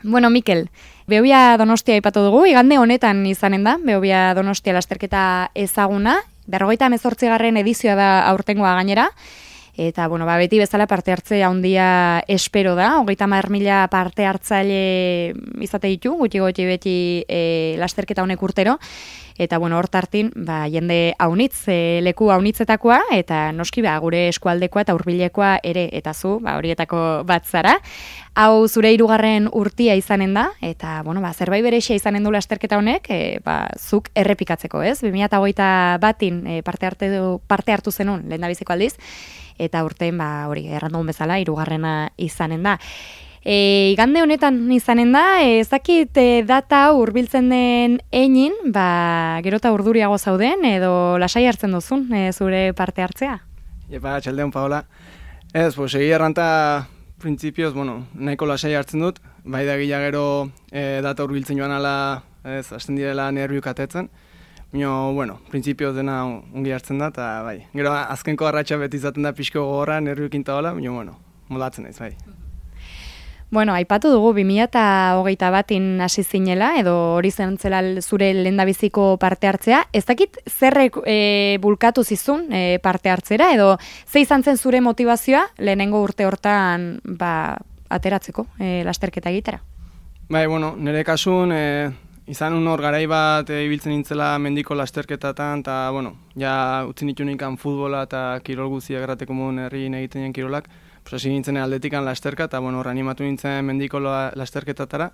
Bueno, Mikel, Behobia Donostia aipatu dugu, igande honetan izanen da, Behobia Donostia lasterketa ezaguna, 58. edizioa da aurtengoa gainera, eta, bueno, beti bezala parte hartze handia espero da, 30.000 parte hartzaile izate ditu, gutxi beti lasterketa honek urtero, eta, bueno, hortartin, jende haunitz, leku haunitzetakoa, eta noski, gure eskualdekoa eta hurbilekoa ere, eta zu, horietako bat zara. Hau zure 3. urtia izanen da, eta, bueno, zerbait berexia izanen du lasterketa honek, zuk errepikatzeko, ez? 2021 parte hartu zenun, lehendabiziko aldiz, eta urtean, hori, errandu bezala, 3. izanen da. Igande honetan izanen da, ez dakit data hurbiltzen den einin, gero eta urduriago zauden, edo lasai hartzen duzun, zure parte hartzea? Epa, txaldeon, Paola. Ez, egia erranta, printzipioz, nahiko lasai hartzen dut, bai da gila gero data hurbiltzen joan ala, hasten direla nerviuk atetzen, printzipioz dena ongi hartzen da, eta bai, gero azkenko arratxa beti izaten da pixko gogorra, nerviuk intaola, moldatzen naiz, bai. Bueno, aipatu dugu 2021 hasi zinela, edo hori zentzela zure lehendabiziko parte hartzea. Ez dakit zerrek bulkatu zizun parte hartzera, edo ze izan zen zure motivazioa lehenengo urte hortan ateratzeko lasterketa egitera? Bai, nire kasun izan hor garai bat ibiltzen nintzela mendiko lasterketatan, eta, ja utzi nitu nikan futbola eta kirol guztiak errateko modun herriin egiten nien kirolak, hasi nintzen atletikan lasterka, eta animatu nintzen mendiko lasterketatara,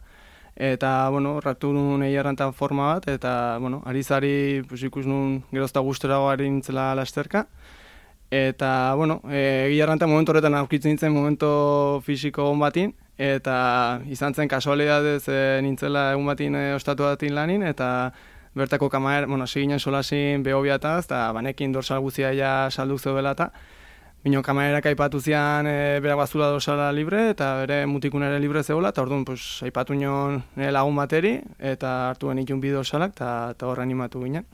eta horratu nun egiarrantan forma bat, eta arizari ikus nun gerozta guztorago ari nintzela lasterka, eta egiarrantan momentu horretan aurkitzen nintzen momento fisiko on batin, eta izan zen kasualidadez nintzela egun batin ostatu batin lanin, eta bertako kamaer, hasi ginen solasin Behobiataz, eta banekin dorsal guztia ja salduk zeudela eta Bino kamaerak aipatu zian berak bazula dorsala libre eta bere mutikun ere libre zegoela, eta orduan aipatu nion nire lagun bateri, eta hartu genitun bi dorsalak, eta hor animatu ginen.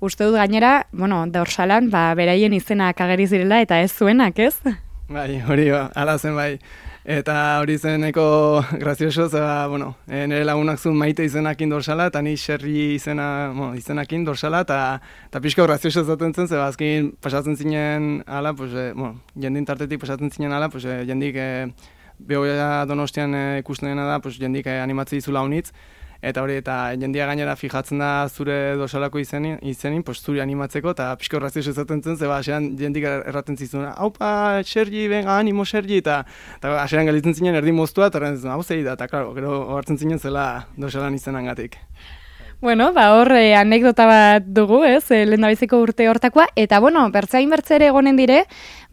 Uste dut gainera, dorsalan, beraien izenak ageri zirela, eta ez zuenak, ez? Bai, hori ala zen bai. Eta hori zen eko grazioso, nire lagunak zuen Maite izenakin dorsala, eta ni Xerri izenakin dorsala, eta pixko grazioso zaten zen, azkin pasatzen zinen ala, jendin tartetik pasatzen zinen ala, jendik Behobia Donostian ikusten dena da, jendik animatzi izula honitz, eta hori, eta jendia gainera fijatzen da zure dorsalako izenin, zuri animatzeko, eta pixko grazioso zaten zen, asean jendik erraten zizun, haupa, Sergi, venga, animo Sergi, eta asean galitzen zinen erdi moztua, eta erraten zizun, hau zei da, eta klaro, gero hartzen zinen zela dorsalan izenangatik. Bueno, hor anekdota bat dugu, ez, lehendabiziko urte hortakoa, eta bertzain bertzere egonen dire,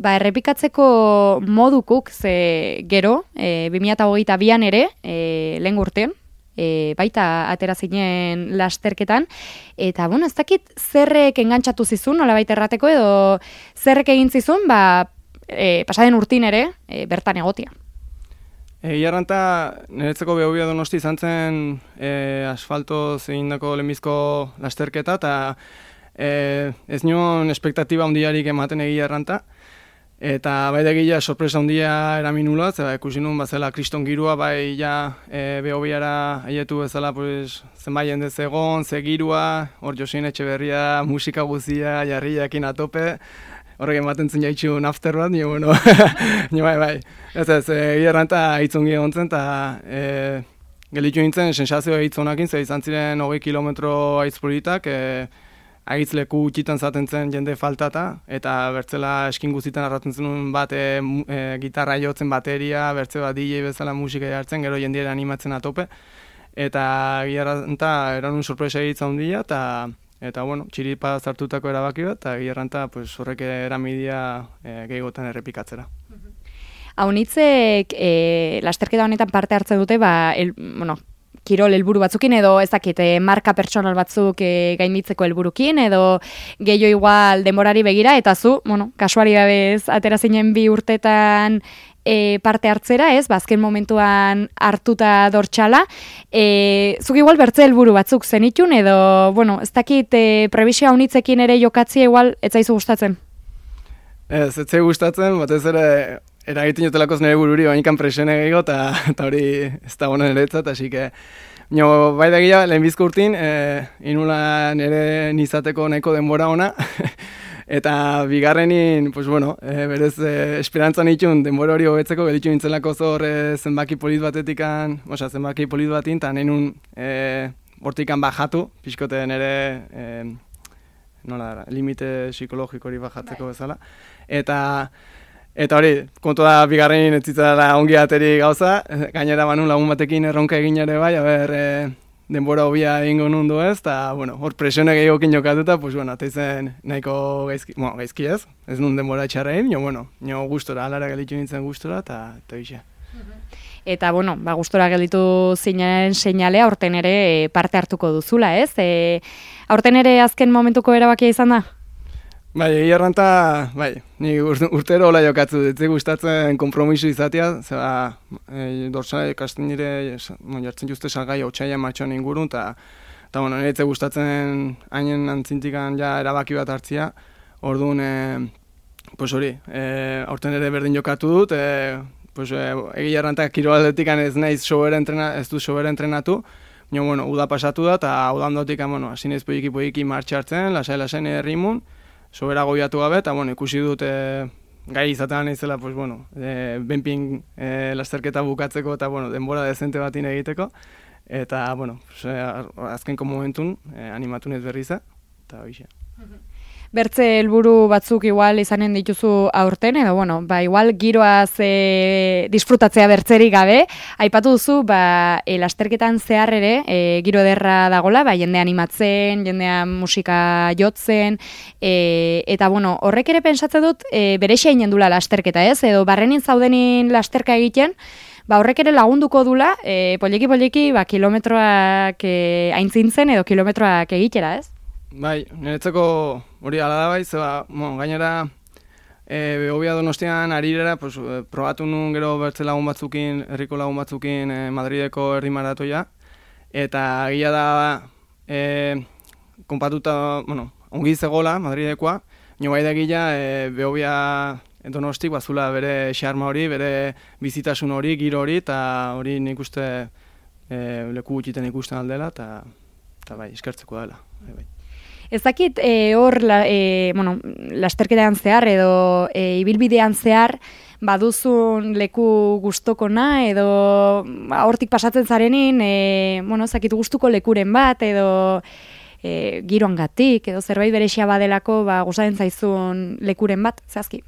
errepikatzeko modukuk, gero, 2022an ere, lehen urtean, baita atera zinen lasterketan, eta ez dakit zerrek engantzatu zizun, nola baita errateko, edo zerrek egin zizun, pasaden urtin ere, bertan egotia. Iarranta, niretzeko Behobia Donosti izan zen asfaltoz egindako lehenbizko lasterketa, eta ez nion espektatiba handiarik ematen egiarranta, eta bai da gila sorpresa handia eramin nula, ikusi nun bazela kriston girua, bai ja Behobiara aietu bezala zenbait jende zegon, ze girua, hor Josin Etxeberria, musika guzia, jarriakin atope, horrek ematen zen jaitxu nafter bat, bai. Ez, erranta hitzongi egon zen, eta gelitu nintzen sensazioa hitzonakin, izan ziren 20 kilometro aizpolitak, agitzleku utxitan zaten zen jende faltata, eta bertzela eskin guztietan arratzen zenun bat gitarra jotzen bateria, bertze bat DJ bezala musika jartzen, gero jendiera animatzen atope, eta gierranta eranun sorpresa egitza handia, eta txiripa zartutako erabaki bat, eta gierranta horrek eramidia gehiagotan errepikatzera. Haunitzek lasterketa honetan parte hartzen dute, kirol helburu batzukin, edo ez dakit, marka pertsonal batzuk gainditzeko helburukin, edo gehiago igual denborari begira, eta zu, kasualidadez atera zinen 2 urtetan parte hartzera, ez, azken momentuan hartuta dortsala, zuk igual bertze helburu batzuk zenitun, edo, ez dakit, prebizio haunitzekin ere jokatzia igual, ez zaizu gustatzen? Ez zai gustatzen, batez ere eragiten jotelako nire bururi, bainikan presione gehiago, eta hori ez da honen eretzat, hasi que, bai da gila, lehenbizko urtin, inula nire nizateko nahiko denbora ona, eta bigarrenin, pues bueno, berez esperantzan itxun denbora hori hobetzeko, gelitxu nintzelako zor zenbaki polit batetikan, zenbaki polit batin, eta nenun hortikan bajatu, pixkote nire, limite psikologiko hori bajatzeko bezala, eta hori, kontu da bigarrenin ez zitzara ongi ateri gauza, gainera banun lagun batekin erronka egin ere bai, denbora hobia egingo nundu ez, eta, bueno, hor presione gehiokin jokatuta, pues, bueno, ateizen nahiko gaizki ez nun denbora txarra egin, nio gustora, alara gelitu nintzen gustora, eta bixe. Eta, bueno, gustora gelditu zinaren seinalea, aurten ere parte hartuko duzula, ez? Aurten ere azken momentuko erabakia izan da? Bai, egia erranta, ni urtero hola jokatzu, ditzi gustatzen konpromiso izatea, zeba, dorsala ikasten nire, jartzen juzte salgai otxaila martxoan ingurun, eta nire itze gustatzen hainen antzintikan ja erabaki bat hartzia, orduan, pues hori, aurten ere berdin jokatu dut, egia erranta kiroaldetikan ez naiz ez du sobera entrenatu, uda pasatu da, eta udandotik, hasi naiz poiki martxartzen, lasai errimun, sobera goiatu gabe, eta ikusi dut gai izatean naizela, benpin lasterketa bukatzeko eta denbora dezente batin egiteko, eta azkenko momentun animatu naiz berriza, eta hoxe. Bertze helburu batzuk igual izanen dituzu aurten, edo igual giroaz disfrutatzea bertzerik gabe, aipatu duzu, lasterketan zehar ere, giro ederra dagola, jendea animatzen, jendea musika jotzen, eta horrek ere pensatzen dut, berexia inen dula lasterketa ez, edo barrenin zaudenin lasterka egiten, horrek ere lagunduko dula, poliki, kilometroak aintzintzen edo kilometroak egitera ez? Bai, niretzako hori ala da bai, zeba, gainera Behobia Donostian arirera, probatu nun gero bertze lagun batzukin, herriko lagun batzukin Madrideko herri maratoia, eta gila da konpatuta, ongi zegoela Madridekoa, nio bai da gila Behobia Donosti bazula bere xarma hori, bere bizitasun hori, giro hori, eta hori nik uste leku gutxiten ikusten aldela, eta bai, eskertzeko dela. Bai. Ez dakit hor lasterketean zehar edo ibilbidean zehar baduzun leku gustokona edo hortik pasatzen zarenin ez dakit gustuko lekuren bat edo giroangatik edo zerbait berexia badelako gustatzen zaizun lekuren bat, zehazki?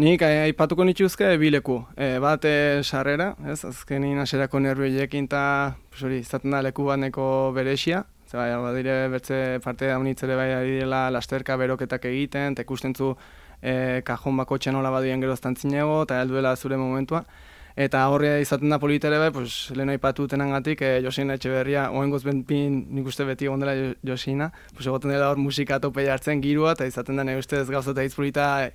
Nik aipatuko nituzke bi leku. Bat sarrera, azkenin haserako nervioiekin eta izaten da leku bat neko berexia. Badire bertze parte daunitzere bai direla lasterka beroketak egiten, eta ikustentzu kajon bako txanola badien geroztan zinego, eta helduela zure momentua. Eta horre izaten da politere bai, lehen aipatu tenangatik, Josina Etxeberria, oengoz benpin nik uste beti egon dela Josina, egoten dela hor musika tope jartzen girua, eta izaten da nire ustez gauza eta izpolita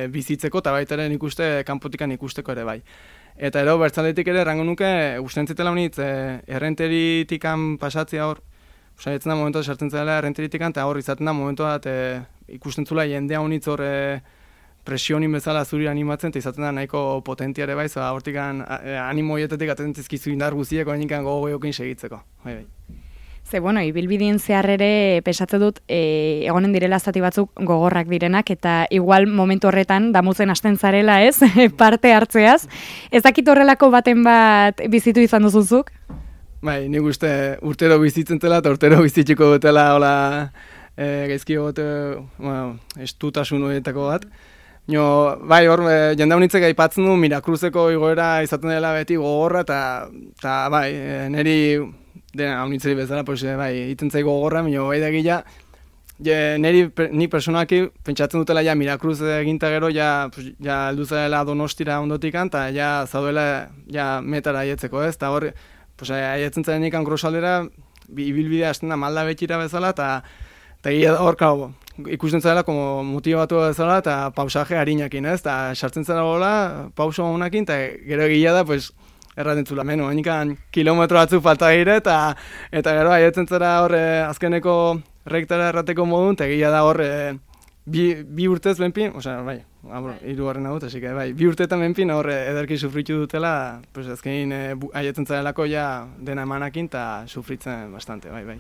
bizitzeko, eta baita ere nik uste kanpotikan ikusteko ere bai. Eta ero bertzaletik ere errango nuke, usten zitela honitz, errenteritikan pasatzea hor, etzen da momentu sartzen zela errenteritikan, eta hor izaten da momentu bat ikusten zula jendea honitz hor presionin bezala zuri animatzen, eta izaten da nahiko potentiare bai, hortik animoietetik atentzizkizu indar guzieko, hainikan gogoiokin segitzeko. Ze, ibilbidien zehar ere pesatzen dut egonen direla zati batzuk gogorrak direnak, eta igual momentu horretan damutzen hasten zarela ez, parte hartzeaz. Ez dakit horrelako baten bat bizitu izan duzuzuk? Bai, nik uste urtero bizitzen zela eta urtero bizitziko dutela gaizki gote estutasun horietako bat. Bai, hor, jende honitzek aipatzen du Mirakruzeko igoera izaten dela beti gogorra, eta bai, niri dena honitzeri bezala, bai, iten zaigo gogorra, bai da gila, ni personaki pentsatzen dutela ja Mirakruz eginta gero, ja alduzela Donostira ondotikan, eta ja zaudela metara aietzeko ez, eta hor, aietzen zaren ikan grosaldera, ibilbidea hasten da malda betxira bezala, eta gila hor, ikusten zela motibatu bezala, eta pausaje harinakin, ez? Eta sartzen zela gola, pauso honakin, eta gero gila da, erraten zula, hanikan kilometro batzuk falta gire, eta gero aietzen zera hor azkeneko rektara errateko modun, eta gila da hor bi urtez benpin, bai, hirugarren hau, así que bai, bi urteetan benpin hor ederki sufritu dutela, pues azkenin haietzen zarelako ja dena emanakin eta sufritzen bastante, bai.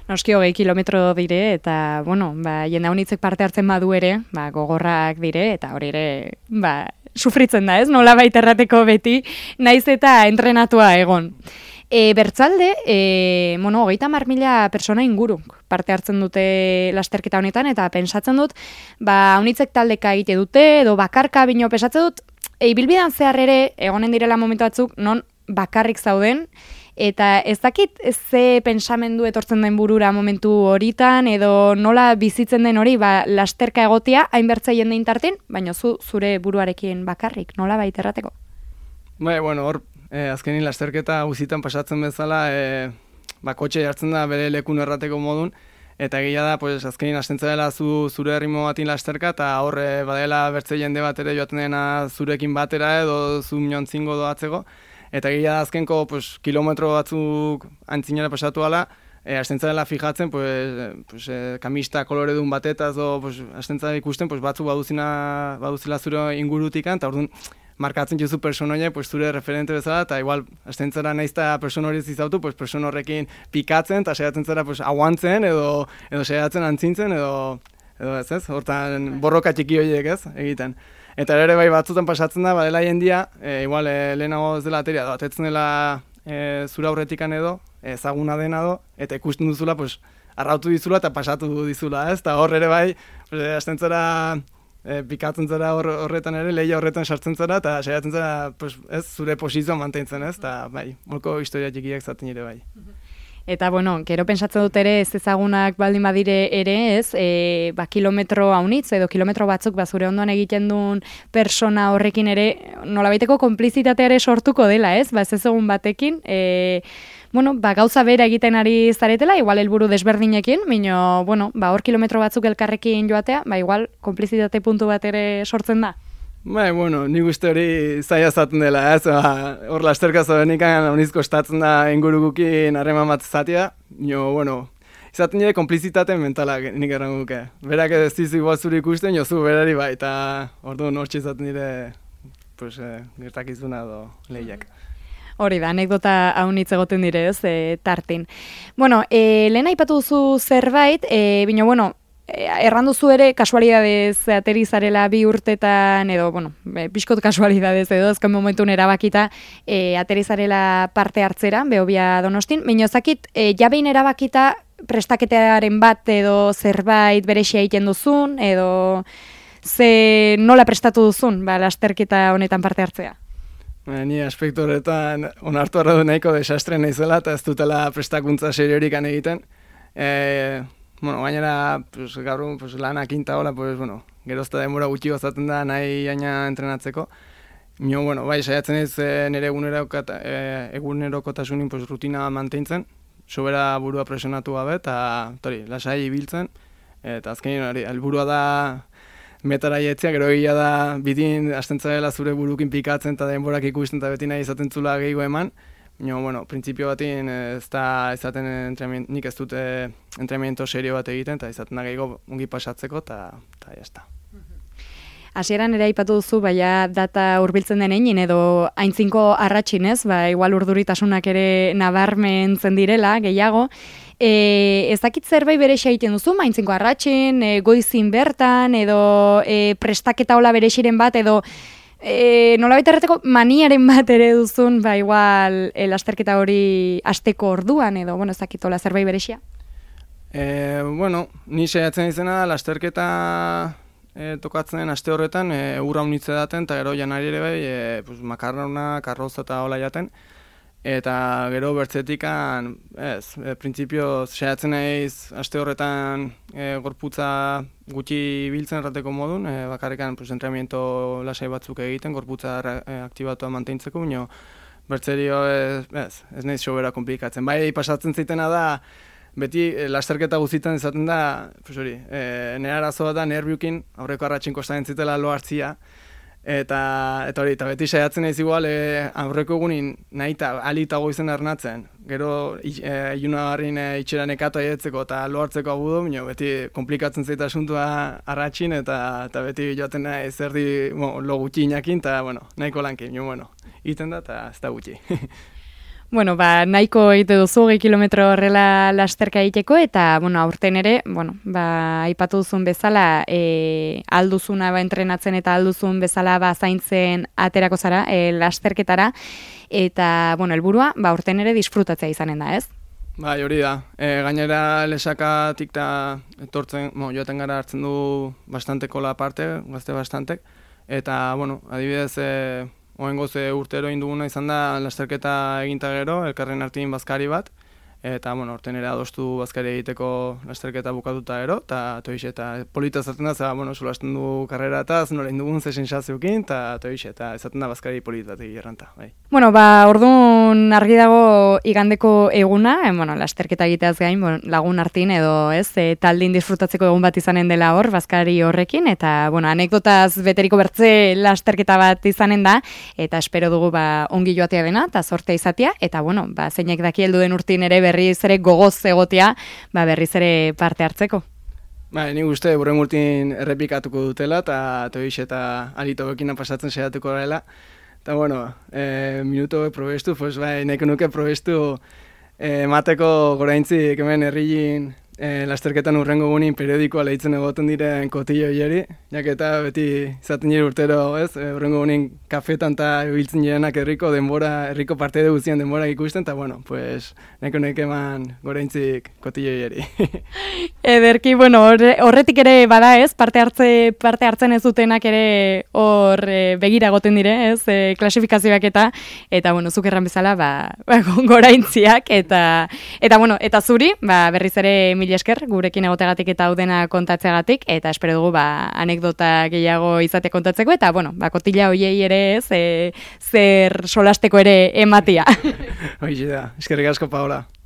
Noski 20 kilometro dire, eta, bueno, jende haunitzek parte hartzen badu ere, gogorrak dire, eta hori ere, sufritzen da, ez? Nola baita errateko beti, naiz eta entrenatua egon. Bertzalde, 30.000 persona inguruk parte hartzen dute lasterketa honetan, eta pensatzen dut, haunitzek taldeka egite dute, edo bakarka bino pesatzen dut, ibilbidean zehar ere, egonen direla momentu batzuk, non bakarrik zauden, eta ez dakit ze pensamendu etortzen den burura momentu horitan, edo nola bizitzen den hori, lasterka egotia, hainbertza jende intartin, baina zure buruarekin bakarrik, nola baita errateko? Hor, azkenin lasterketa guzitan pasatzen bezala, kotxe jartzen da bere lekun errateko modun, eta egia da, azkenin hasten dela zure erritmo batin lasterka, eta horre badela bertze jende bat ere joaten dena zurekin batera edo zu minontzingo doatzeko, eta egia da azkenko kilometro batzuk antzinera pasatu ala, hasten dela fijatzen, kamista koloredun batetaz, hasten dela ikusten, batzu baduzila zure ingurutikan, eta orduan, markatzen juzu personoia, zure referente bezala, eta igual, hasten zara nahiz eta persona hori zizautu, persona horrekin pikatzen, eta saiatzen zara aguantzen, edo saiatzen antzintzen, edo ez, hortan borroka txiki horiek ez, egiten. Eta ere bai batzutan pasatzen da, badela jendia, igual lehenago ez dela ateria, atetzen dela zura aurretikan edo, ezaguna dena edo, eta ikusten duzula, arrautu dizula eta pasatu dizula, ez? Eta hor ere bai, hasten zara, pikatzen zara horretan ere, lehia horretan sartzen zara, eta saiatzen zara, ez, zure posizioa mantentzen, ez? Eta bai, molko historia txikiak zaten ere bai. Eta, gero pentsatzen dut ere, ez ezagunak baldin badire ere, ez, kilometro haunitz, edo kilometro batzuk zure ondoan egiten duen persona horrekin ere, nolabaiteko konplizitatea ere sortuko dela, ez? Ez egun batekin, gauza bera egiten ari zaretela, igual helburu desberdinekin, baina, hor kilometro batzuk elkarrekin joatea, igual konplizitate puntu bat ere sortzen da. Nik uste hori zaila zaten dela, ez? Hor lasterka zorenik hauniz kostatzen da ingurugukin harreman bat zatea, izaten nire konplizitate mentalak nik errango duke. Berak ez dizu igual zuri ikusten, jozu berari bai, eta orduan hortxe izaten nire gertakizuna edo lehiak. Hori da, anekdota haunitz egoten dire, ez, tartin. Lehen aipatu duzu zerbait, baina, erranduzu ere kasualidadez ateri zarela 2 urtetan, edo, pixkot kasualidadez edo, ezken momentun erabakita ateri zarela parte hartzera, Behobia Donostin, baina ezakit, jabein erabakita prestaketearen bat edo zerbait berexia egiten duzun, edo nola prestatu duzun, lasterketa honetan parte hartzea? Ni aspektu horretan onartu arra du nahiko desastre naizela eta ez dutela prestakuntza seriorik egiten. Gainera, gaur lanak inta hola, gerozta denbora gutxi gozaten da nahi aina entrenatzeko. Bai, saiatzen ez nire egunerokotasunin rutina mantentzen, sobera burua presionatu gabe eta lasai ibiltzen. Eta azkenin hori, helburua da metara jetzia, gero egia da bidin hasten zarela zure burukin pikatzen eta denborak ikusten eta beti nahi izaten zula gehiago eman. Printzipio batin ez da izaten nik ez dut entrenamiento serio bat egiten eta izaten da gehiago ongi pasatzeko eta jazta. Hasieran ere aipatu duzu, data hurbiltzen denein edo aintzinko arratsin ez, igual urduritasunak ere nabarmentzen direla, gehiago. Ez dakit zerbait berexe egiten duzu, aintzinko arratsin, goizin bertan, edo prestaketa hola berexiren bat, edo nolabait erreteko maniaren bat ere duzun, igual lasterketa hori asteko orduan, edo, ez dakit hola zerbait berexia? Ni saiatzen izena lasterketa tokatzen aste horretan urra unitze daten, eta gero janari ere bai, makarrona, karroza eta hola jaten. Eta gero bertzetikan, printzipio saiatzen naiz aste horretan gorputza gutxi biltzen errateko modun, bakarrikan entrenamiento lasai batzuk egiten, gorputza aktibatua mantentzeko, baina bertzerio ez naiz sobera komplikatzen. Bai, pasatzen zaitena da, beti lasterketa guzitan izaten da, nire arazoa da nerviukin, aurreko arratxin kostatzen zitela lo hartzia, eta beti saiatzen naiz igual aurreko egunin nahi eta alitago izan ernatzen, gero ilunagarrin itxeran ekatu aietzeko eta lohartzeko abudu, beti komplikatzen zaita asuntua arratxin, eta beti joaten nahi zerdi lo gutxi inakin, eta nahiko lankin, iten da, eta ez da gutxi. Bueno, nahiko egite duzu 2 kilometro horrela lasterka egiteko, eta, aurten ere, aipatu duzun bezala, alduzuna entrenatzen eta alduzun bezala zaintzen aterako zara lasterketara, eta, helburua, aurten ere disfrutatzea izanen da, ez? Bai, hori da. Gainera lesakatik eta etortzen, joaten gara hartzen du bastanteko la parte, gazte bastantek, eta, adibidez, Oengoz urtero induguna izan da lasterketa eginta gero, elkarren artin bazkari bat, eta orten ere adostu bazkari egiteko lasterketa bukatuta gero, eta polita zaten da, solasten du karrera eta nola indugun ze sensaziokin, eta ezaten da bazkari politatik erranta. Bai. Orduan argi dago igandeko eguna, lasterketa egiteaz gain, lagun artin edo taldin disfrutatzeko egun bat izanen dela hor, bazkari horrekin, eta anekdotaz beteriko bertze lasterketa bat izanen da, eta espero dugu ongi joatea dena, eta sortea izatea, eta zeinek daki heldu den urtin ere berriz ere gogoz egotea, berriz ere parte hartzeko. Nik uste burren urtin errepikatuko dutela, eta alito bekina pasatzen saiatuko dela. Eta minuto probestu, nahiko nuke probestu mateko goraintzik hemen herriin lasterketan urrengo gunin periodikoa lehitzen egoten diren kotillo hieri, jaketa beti izaten jiri urtero, urrengo gunin kafetan eta biltzen jirenak herriko parte guztien denbora ikusten, eta nahiko nuke eman goraintzik kotillo hieri. Ederki, horretik ere bada parte hartzen ez dutenak ere hor begira goten dire, klasifikazioak eta zuk erran bezala goraintziak, eta zuri, berriz ere mila esker, gurekin egotegatik eta haudena kontatzeagatik, eta espero dugu anekdota gehiago izate kontatzeko, eta kotila hoiei ere zer solasteko ere ematia. Hoize da, eskerrik asko Paola.